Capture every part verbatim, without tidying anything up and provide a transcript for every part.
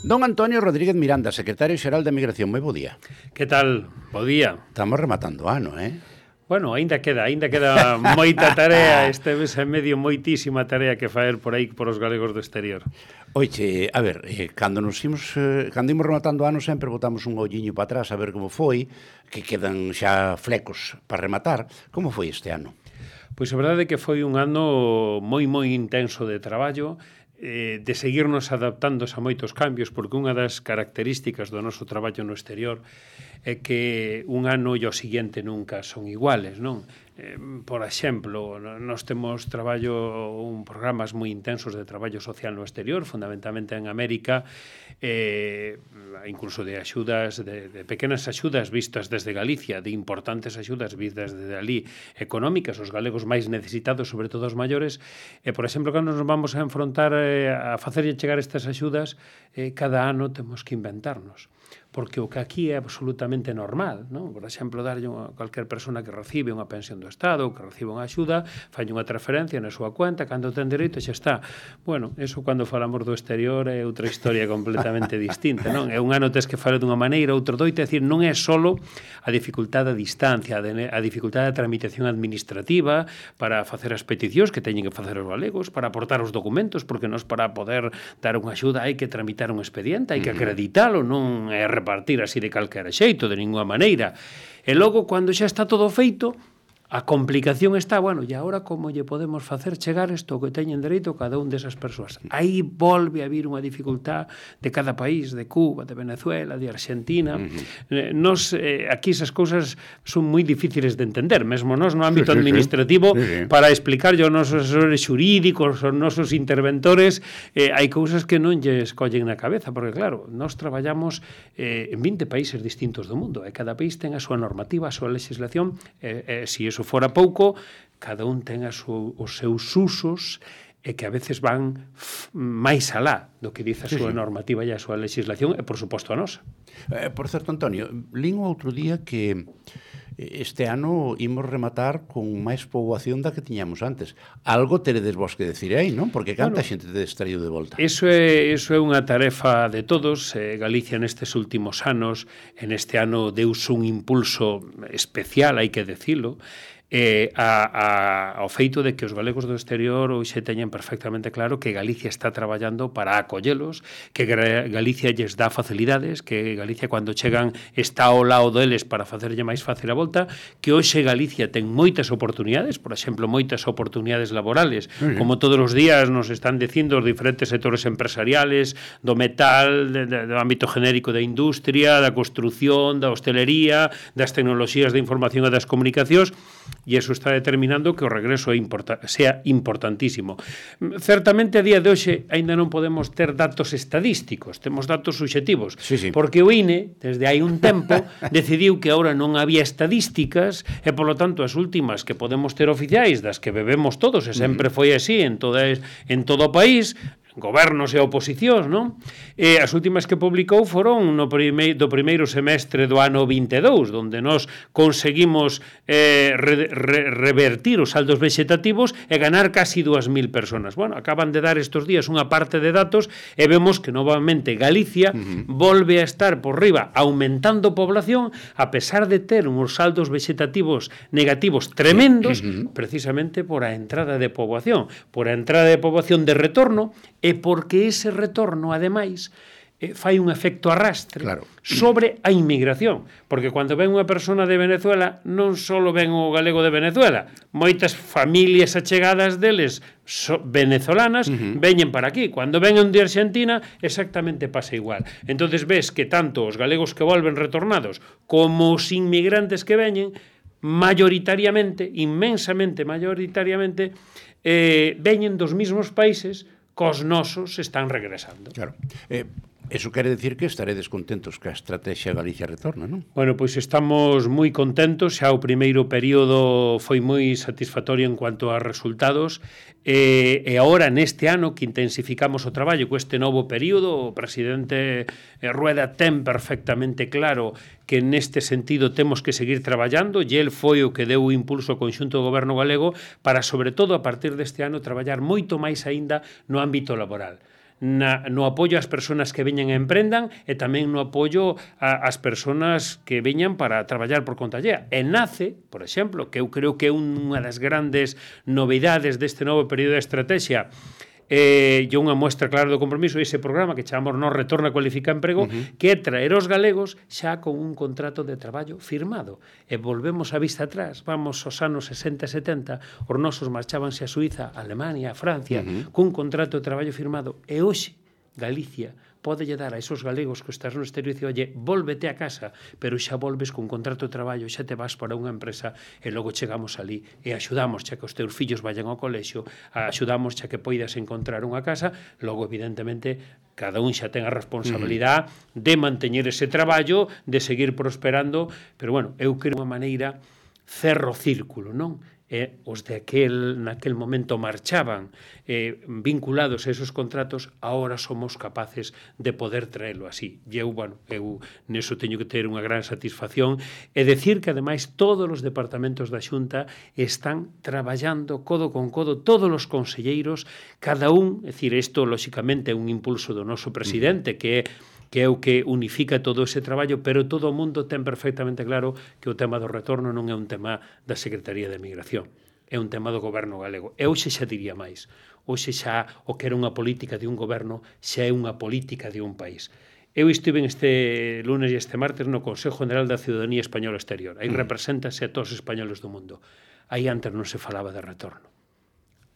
Don Antonio Rodríguez Miranda, secretario xeral de Migración, moi bo día. Que tal? Bo día. Estamos rematando o ano, eh? Bueno, aínda queda, aínda queda moita tarea, este mes e medio moitísima tarea que faer por aí por os galegos do exterior. Oiche, a ver, eh, cando nos imos, eh, cando imos rematando o ano sempre botamos un olliño para atrás a ver como foi, que quedan xa flecos para rematar. Como foi este ano? Pois a verdade é que foi un ano moi, moi intenso de traballo, eh, de seguirnos adaptando a moitos cambios, porque unha das características do noso traballo no exterior é que un ano e o seguinte nunca son iguales, non? Eh, por exemplo, nós temos traballo, un programas moi intensos de traballo social no exterior, fundamentalmente en América, eh, incluso de axudas, de, de pequenas axudas vistas desde Galicia, de importantes axudas vistas desde ali, económicas, os galegos máis necesitados, sobre todo os maiores, e, por exemplo, cando nos vamos a enfrontar eh, a facerlle chegar estas axudas, eh, cada ano temos que inventarnos. Porque o que aquí é absolutamente normal, non? Por exemplo, darlle a calquer persona que recibe unha pensión do Estado ou que recibe unha axuda, fai unha transferencia na súa cuenta, cando ten dereito xa está. Bueno, eso cando falamos do exterior é outra historia completamente distinta, non? É un ano tes que falo dunha maneira, outro doito, é dicir, non é solo a dificultade a distancia, a dificultade da tramitación administrativa para facer as peticións que teñen que facer os galegos, para aportar os documentos, porque nos para poder dar unha axuda hai que tramitar un expediente, hai que acreditalo, non é repartir así de calquera xeito, de ninguna maneira. E logo, cando xa está todo feito, a complicación está, bueno, e agora como lle podemos facer chegar isto que teñen dereito cada un desas persoas? Aí volve a vir unha dificultad de cada país, de Cuba, de Venezuela, de Argentina. Uh-huh. Nos, eh, aquí esas cousas son moi difíciles de entender, mesmo nos no ámbito sí, sí, administrativo, sí. Sí, sí. Para explicar aos nosos asesores xurídicos, aos nosos interventores, eh, hai cousas que non lle escollen na cabeza, porque claro, nós traballamos eh, en vinte países distintos do mundo, e cada país ten a súa normativa, a súa legislación, e eh, eh, si eso fora pouco, cada un ten a su, os seus usos e que a veces van máis alá do que dice a súa sí, sí. normativa e a súa legislación e, por suposto, a nosa. Eh, por certo, Antonio, lín outro día que este ano imos rematar con máis poboación da que tiñamos antes. Algo teredes vos que decir aí, non? Porque canta bueno, xente tedes traído de volta. Eso é, eso é unha tarefa de todos. Eh, Galicia nestes últimos anos, en este ano deus un impulso especial, hai que decilo, eh, a, a, ao feito de que os galegos do exterior hoxe teñen perfectamente claro que Galicia está traballando para acollelos, que Galicia lles dá facilidades, que Galicia cando chegan está ao lado deles para facerlle máis fácil a volta, que hoxe Galicia ten moitas oportunidades, por exemplo, moitas oportunidades laborales, uh-huh. como todos os días nos están dicindo os diferentes sectores empresariales, do metal, de, de, do ámbito genérico da industria, da construción, da hostelería, das tecnoloxías de información e das comunicacións, e iso está determinando que o regreso é importa, sea importantísimo. Certamente, a día de hoxe, aínda non podemos ter datos estadísticos, temos datos subxetivos, sí, sí. porque o I N E, desde hai un tempo, decidiu que agora non había estadísticas e, polo tanto, as últimas que podemos ter oficiais, das que bebemos todos, e sempre foi así en, toda, en todo o país, gobernos e oposicións, non? E as últimas que publicou foron no primeiro, do primeiro semestre do ano vinte e dous, onde nós conseguimos eh, re, re, revertir os saldos vexetativos e ganar casi dúas mil personas. Bueno, acaban de dar estes días unha parte de datos e vemos que novamente Galicia uh-huh. volve a estar por riba, aumentando población, a pesar de ter uns saldos vexetativos negativos tremendos, uh-huh. precisamente por a entrada de poboación, por a entrada de poboación de retorno, e porque ese retorno, ademais, eh, fai un efecto arrastre claro. sobre a inmigración. Porque cando ven unha persona de Venezuela, non só ven o galego de Venezuela, moitas familias achegadas deles so, venezolanas uh-huh. veñen para aquí. Cando ven de Argentina, exactamente pasa igual. Entonces ves que tanto os galegos que volven retornados como os inmigrantes que veñen, mayoritariamente, inmensamente mayoritariamente, eh, veñen dos mismos países cos nosos están regresando. Claro. Eh, eso quere decir que estaredes contentos que a estrategia Galicia retorna, non? Bueno, pois estamos moi contentos, xa o primeiro período foi moi satisfactorio en cuanto a resultados, e, e agora neste ano que intensificamos o traballo co este novo período, o presidente Rueda ten perfectamente claro que neste sentido temos que seguir traballando, e el foi o que deu o impulso ao conxunto do goberno galego para, sobre todo, a partir deste ano, traballar moito máis aínda no ámbito laboral. na, no apoio ás persoas que veñan e emprendan e tamén no apoio a, ás persoas que veñan para traballar por conta allea. E nace, por exemplo, que eu creo que é unha das grandes novidades deste novo período de estrategia, eh, e unha muestra clara do compromiso ese programa que chamamos Nos Retorna Cualifica Emprego, uh-huh. que é traer os galegos xa con un contrato de traballo firmado. E volvemos a vista atrás, vamos aos anos sesenta e setenta, os nosos marchábanse a Suiza, a Alemania, a Francia, uh-huh. cun contrato de traballo firmado. E hoxe, Galicia pode lle dar a esos galegos que estás no exterior e dicir, oye, volvete a casa, pero xa volves con contrato de traballo, xa te vas para unha empresa e logo chegamos ali e axudamos xa que os teus fillos vayan ao colexio, axudamos xa que poidas encontrar unha casa, logo evidentemente cada un xa ten a responsabilidade uh-huh. de manteñer ese traballo, de seguir prosperando, pero bueno, eu creo unha maneira cerro círculo, non? E os de aquel, naquel momento marchaban eh, vinculados a esos contratos, ahora somos capaces de poder traelo así. E eu, bueno, eu neso teño que ter unha gran satisfacción e decir que, ademais, todos os departamentos da Xunta están traballando codo con codo, todos os conselleiros, cada un, é dicir, isto, lóxicamente, é un impulso do noso presidente, que é que é o que unifica todo ese traballo, pero todo o mundo ten perfectamente claro que o tema do retorno non é un tema da Secretaría de Migración, é un tema do goberno galego. E hoxe xa diría máis, hoxe xa o que era unha política de un goberno xa é unha política de un país. Eu estive este lunes e este martes no Consejo General da Ciudadanía Española Exterior. Aí represéntase a todos os españoles do mundo. Aí antes non se falaba de retorno.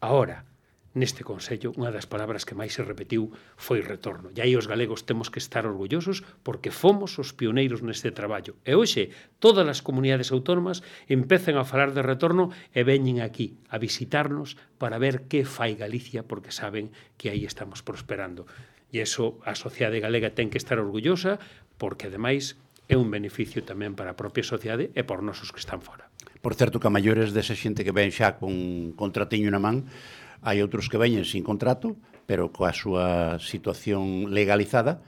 Ahora, neste Consello, unha das palabras que máis se repetiu foi retorno. E aí os galegos temos que estar orgullosos porque fomos os pioneiros neste traballo. E hoxe, todas as comunidades autónomas empezan a falar de retorno e veñen aquí a visitarnos para ver que fai Galicia porque saben que aí estamos prosperando. E iso a sociedade galega ten que estar orgullosa porque, ademais, é un beneficio tamén para a propia sociedade e por nosos que están fora. Por certo, que a maiores desa xente que ven xa con contratiño na man, hai outros que veñen sin contrato, pero coa súa situación legalizada,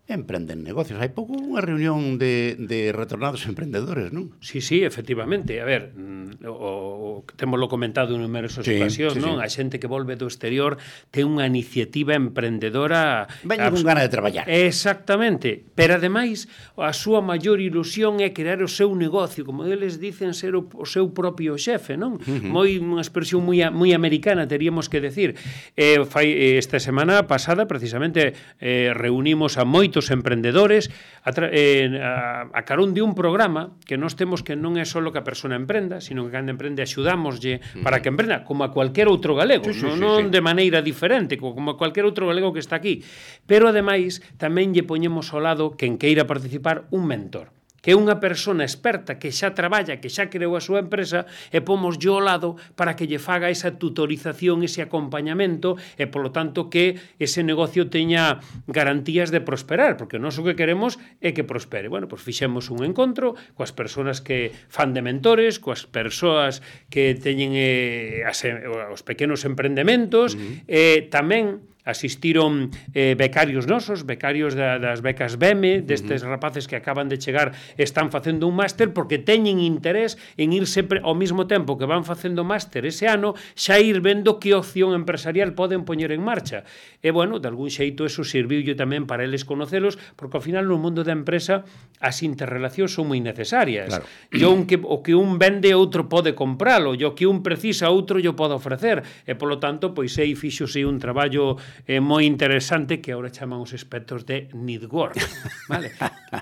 emprenden negocios. Hai pouco unha reunión de, de retornados emprendedores, non? Sí, sí, efectivamente. A ver, o, o, temoslo comentado en numerosas sí, ocasións, sí, non? Sí. A xente que volve do exterior ten unha iniciativa emprendedora... Veñen con gana de traballar. Exactamente. Pero, ademais, a súa maior ilusión é crear o seu negocio, como eles dicen ser o, o seu propio xefe, non? Uh-huh. Moi, unha expresión moi, moi americana, teríamos que decir. Eh, fai, esta semana pasada, precisamente, eh, reunimos a moitos emprendedores a, eh, a, a carón de un programa que nós temos que non é só que a persona emprenda, sino que cando emprende axudámoslle para que emprenda, como a cualquier outro galego, sí, sí, non, sí, non sí. de maneira diferente, como a cualquier outro galego que está aquí. Pero, ademais, tamén lle poñemos ao lado quen queira participar un mentor, que é unha persona experta que xa traballa, que xa creou a súa empresa e pomos yo ao lado para que lle faga esa tutorización, ese acompañamento e, polo tanto, que ese negocio teña garantías de prosperar, porque nós o que queremos é que prospere. Bueno, pois fixemos un encontro coas persoas que fan de mentores, coas persoas que teñen eh, as, os pequenos emprendementos, uh-huh. e tamén asistiron eh, becarios nosos, becarios da, das becas B E M E, destes uh-huh. rapaces que acaban de chegar, están facendo un máster porque teñen interés en ir sempre ao mesmo tempo que van facendo máster ese ano, xa ir vendo que opción empresarial poden poñer en marcha. E, bueno, de algún xeito eso serviulle tamén para eles conocelos, porque ao final no mundo da empresa as interrelacións son moi necesarias. Claro. E un que, o que un vende, outro pode compralo, e o que un precisa, outro lle pode ofrecer. E, polo tanto, pois aí fíxose un traballo é moi interesante que agora chaman os expertos de network, vale?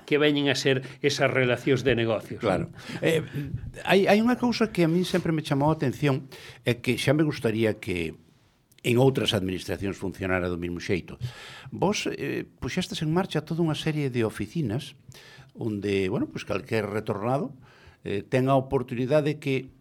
Que veñen a ser esas relacións de negocios. Claro. Eh, hai, hai unha cousa que a mí sempre me chamou a atención, é que xa me gustaría que en outras administracións funcionara do mesmo xeito. Vos eh, puxestes en marcha toda unha serie de oficinas onde, bueno, pues calquer retornado eh, ten a oportunidade que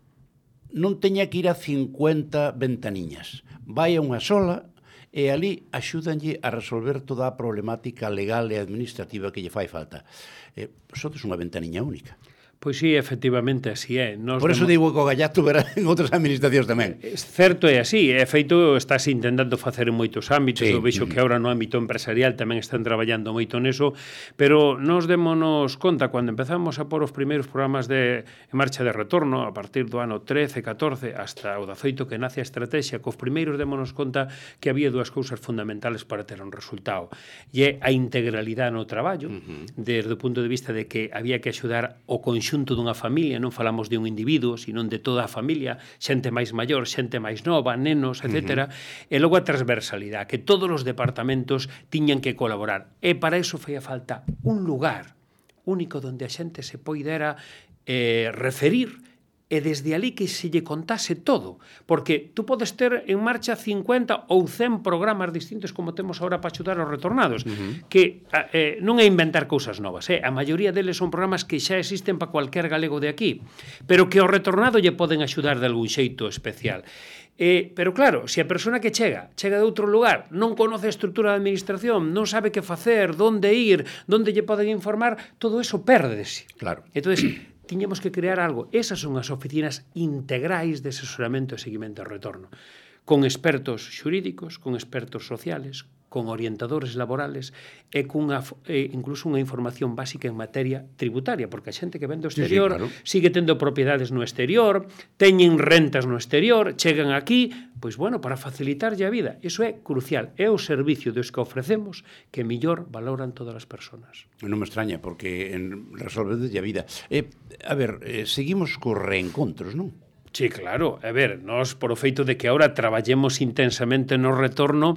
non teña que ir a cincuenta ventaniñas. Vai a unha sola e ali axúdanlle a resolver toda a problemática legal e administrativa que lle fai falta. Eh, sodes unha ventaniña única. Pois sí, efectivamente, así é. Nos Por eso digo que o gallato verá en outras administracións tamén. É certo, é así. É feito, estás intentando facer en moitos ámbitos. Sí. Eu vexo que agora no ámbito empresarial tamén están traballando moito neso, pero nos démonos conta, cando empezamos a pôr os primeiros programas de en marcha de retorno, a partir do ano trece, catorce, hasta o dezaoito que nace a estrategia, cos primeiros démonos conta que había dúas cousas fundamentales para ter un resultado. E é a integralidade no traballo, uh -huh. desde o punto de vista de que había que axudar o conxunto dunha familia, non falamos de un individuo, sino de toda a familia, xente máis maior, xente máis nova, nenos, etcétera. Uh-huh. E logo a transversalidade, que todos os departamentos tiñan que colaborar. E para iso feía falta un lugar único donde a xente se poidera eh, referir e desde ali que se lle contase todo, porque tú podes ter en marcha cincuenta ou cen programas distintos como temos agora para axudar aos retornados, uh-huh. que eh, non é inventar cousas novas, eh? A maioría deles son programas que xa existen para cualquier galego de aquí, pero que ao retornado lle poden axudar de algún xeito especial. Eh, pero claro, se a persona que chega, chega de outro lugar, non conoce a estrutura da administración, non sabe que facer, donde ir, donde lle poden informar, todo eso pérdese. Claro. Entonces, tiñemos que crear algo. Esas son as oficinas integrais de asesoramento e seguimento ao retorno, con expertos xurídicos, con expertos sociales, con orientadores laborales e cunha, e incluso unha información básica en materia tributaria, porque a xente que ven do exterior sí, sí, claro. sigue tendo propiedades no exterior, teñen rentas no exterior, chegan aquí, pois bueno, para facilitarlle a vida. Iso é crucial, é o servicio dos que ofrecemos que mellor valoran todas as persoas. Non me extraña, porque resolvedelle a vida. Eh, a ver, eh, seguimos cos reencontros, non? Sí, claro. A ver, nós, por o feito de que ahora traballemos intensamente no retorno,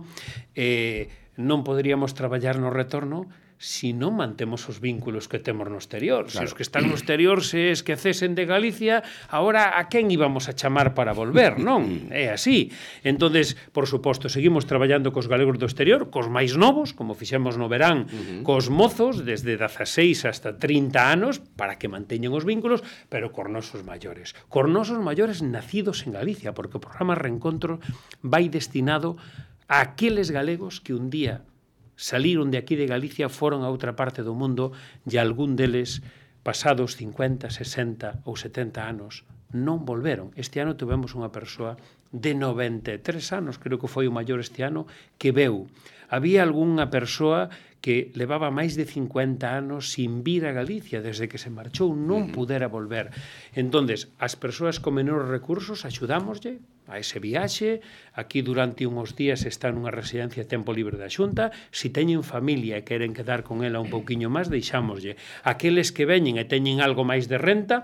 eh, non poderíamos traballar no retorno si non mantemos os vínculos que temos no exterior. Claro. Se os que están no exterior se esquecesen de Galicia, ahora a quen íbamos a chamar para volver, non? É así. Entonces, por suposto, seguimos traballando cos galegos do exterior, cos máis novos, como fixemos no verán, uh -huh. cos mozos, desde dezaseis hasta trinta anos, para que manteñen os vínculos, pero cos nosos maiores. Cos nosos maiores nacidos en Galicia, porque o programa Reencontro vai destinado a aqueles galegos que un día saliron de aquí de Galicia, foron a outra parte do mundo e algún deles, pasados cincuenta, sesenta ou setenta anos, non volveron. Este ano tivemos unha persoa de noventa e tres anos, creo que foi o maior este ano, que veu. Había algunha persoa que levaba máis de cincuenta anos sin vir a Galicia, desde que se marchou non pudera volver. Entonces, as persoas con menores recursos axudámoslle a ese viaxe, aquí durante unhos días está nunha residencia de tempo libre da Xunta, se teñen familia e queren quedar con ela un pouquiño máis, deixámoslle. Aqueles que veñen e teñen algo máis de renta,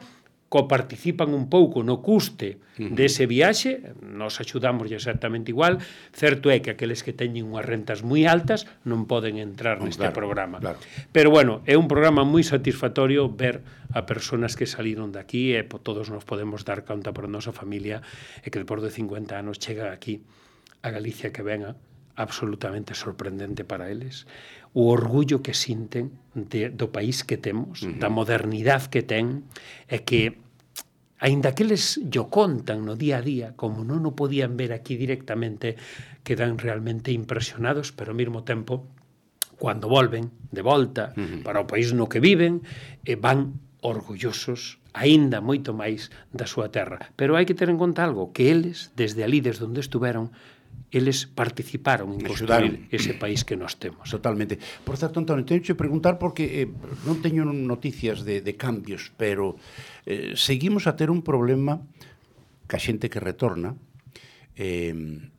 coparticipan un pouco no custe uh-huh. dese viaxe, nos axudamos exactamente igual. Certo é que aqueles que teñen unhas rentas moi altas non poden entrar oh, neste claro, programa. Claro. Pero bueno, é un programa moi satisfactorio ver a persoas que saliron de aquí e todos nos podemos dar conta por a nosa familia e que depois de cincuenta anos chega aquí a Galicia que venga absolutamente sorprendente para eles, o orgullo que sinten de, do país que temos, uh-huh. da modernidade que ten, e que, aínda que eles yo contan no día a día, como non o podían ver aquí directamente, quedan realmente impresionados, pero ao mesmo tempo, cando volven de volta uh-huh. para o país no que viven, eh, van orgullosos aínda moito máis da súa terra. Pero hai que ter en conta algo, que eles, desde ali, desde onde estuveron, eles participaron en construir ese país que nós temos. Totalmente. Por certo, Antonio, teño que preguntar porque eh, non teño noticias de, de cambios, pero eh, seguimos a ter un problema ca xente que retorna, eh,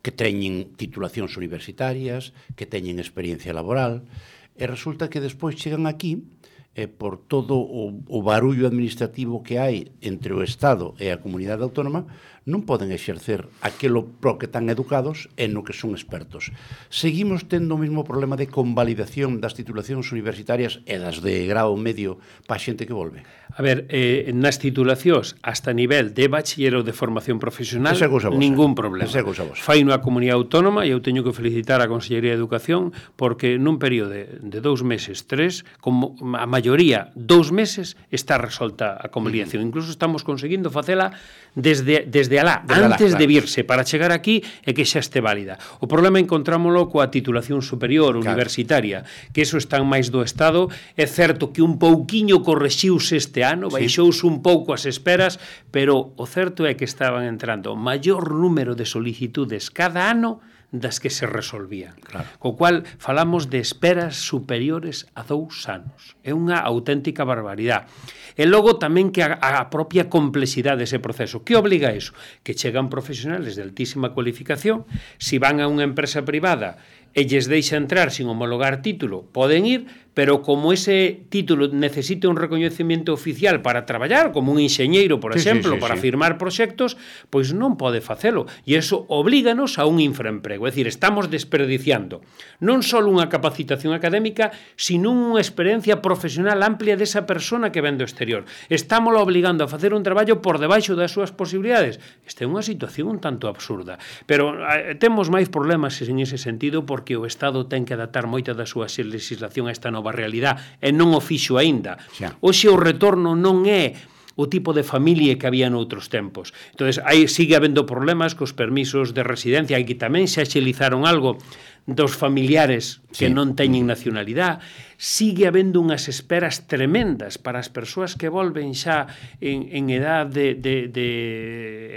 que teñen titulacións universitarias, que teñen experiencia laboral, e resulta que despois chegan aquí eh, por todo o, o barullo administrativo que hai entre o Estado e a comunidade autónoma, non poden exercer aquilo pro que están educados e no que son expertos. Seguimos tendo o mesmo problema de convalidación das titulacións universitarias e das de grau medio para a xente que volve. A ver, eh, nas titulacións hasta nivel de bachiller ou de formación profesional, ningún problema. Fai unha comunidade autónoma e eu teño que felicitar a Consellería de Educación porque nun período de, de dous meses, tres, como a maioría maioría, dous meses, está resolta a conciliación. Uh-huh. Incluso estamos conseguindo facela desde, desde alá, desde antes alá, claro. de virse, para chegar aquí e que xa este válida. O problema encontrámolo coa titulación superior, claro. universitaria, que eso está máis do Estado. É certo que un pouquiño correxiuse este ano, baixouse sí. un pouco as esperas, pero o certo é que estaban entrando o maior número de solicitudes cada ano das que se resolvían. Claro. Co cual, falamos de esperas superiores a dous anos. É unha auténtica barbaridade. E logo tamén que a, a propia complexidade dese proceso. Que obliga a iso? Que chegan profesionales de altísima cualificación, si van a unha empresa privada e lles deixa entrar sin homologar título, poden ir, pero como ese título necesita un recoñecemento oficial para traballar, como un enxeñeiro, por sí, exemplo, sí, sí, para sí. firmar proxectos, pois non pode facelo. E iso oblíganos a un infraemprego. É dicir, estamos desperdiciando non só unha capacitación académica, sino unha experiencia profesional amplia desa persona que ven do exterior. Estámoslo obligando a facer un traballo por debaixo das súas posibilidades. Esta é unha situación un tanto absurda. Pero eh, temos máis problemas en ese sentido, porque o Estado ten que adaptar moita da súa legislación a esta nova realidade e non o fixo aínda. Xa. Hoxe o retorno non é o tipo de familia que había noutros tempos. Entonces, aí sigue habendo problemas cos permisos de residencia, e que tamén se axilizaron algo dos familiares que sí. non teñen nacionalidade. Sigue habendo unhas esperas tremendas para as persoas que volven xa en, en edad de, de, de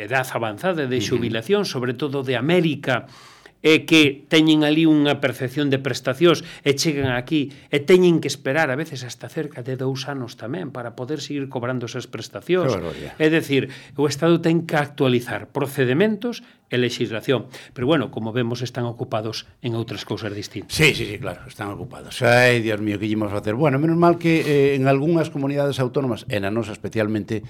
edad avanzada, de xubilación, uh-huh. sobre todo de América, e que teñen ali unha percepción de prestacións e chegan aquí e teñen que esperar a veces hasta cerca de dous anos tamén para poder seguir cobrando esas prestacións. É dicir, o Estado ten que actualizar procedementos e legislación. Pero bueno, como vemos, están ocupados en outras cousas distintas. Sí, sí, sí, claro, están ocupados. Ai, Dios mío, que ímos facer? Bueno, menos mal que eh, en algunhas comunidades autónomas, e na nosa especialmente,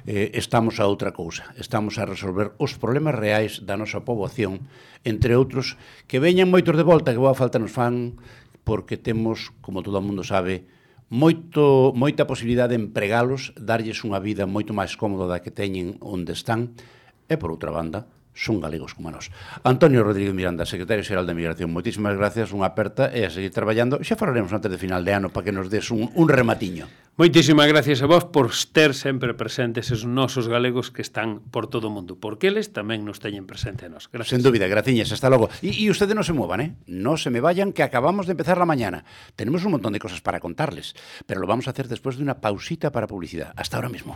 eh, estamos a outra cousa. Estamos a resolver os problemas reais da nosa poboación, entre outros, que veñan moitos de volta, que boa falta nos fan, porque temos, como todo o mundo sabe, moito, moita posibilidade de empregalos, darlles unha vida moito máis cómoda da que teñen onde están, e por outra banda, son galegos como nós. Antonio Rodríguez Miranda, secretario xeral de Migración, moitísimas gracias, unha aperta e a seguir traballando. Xa falaremos antes de final de ano para que nos des un, un rematiño. Moitísimas gracias a vos por ter sempre presentes esos nosos galegos que están por todo o mundo, porque eles tamén nos teñen presente a nós. Gracias. Sen dúbida, graciñas, hasta logo. E, e ustedes non se muevan, ¿eh? No se me vayan, que acabamos de empezar la mañana. Tenemos un montón de cosas para contarles, pero lo vamos a hacer después de una pausita para publicidad. Hasta ahora mismo.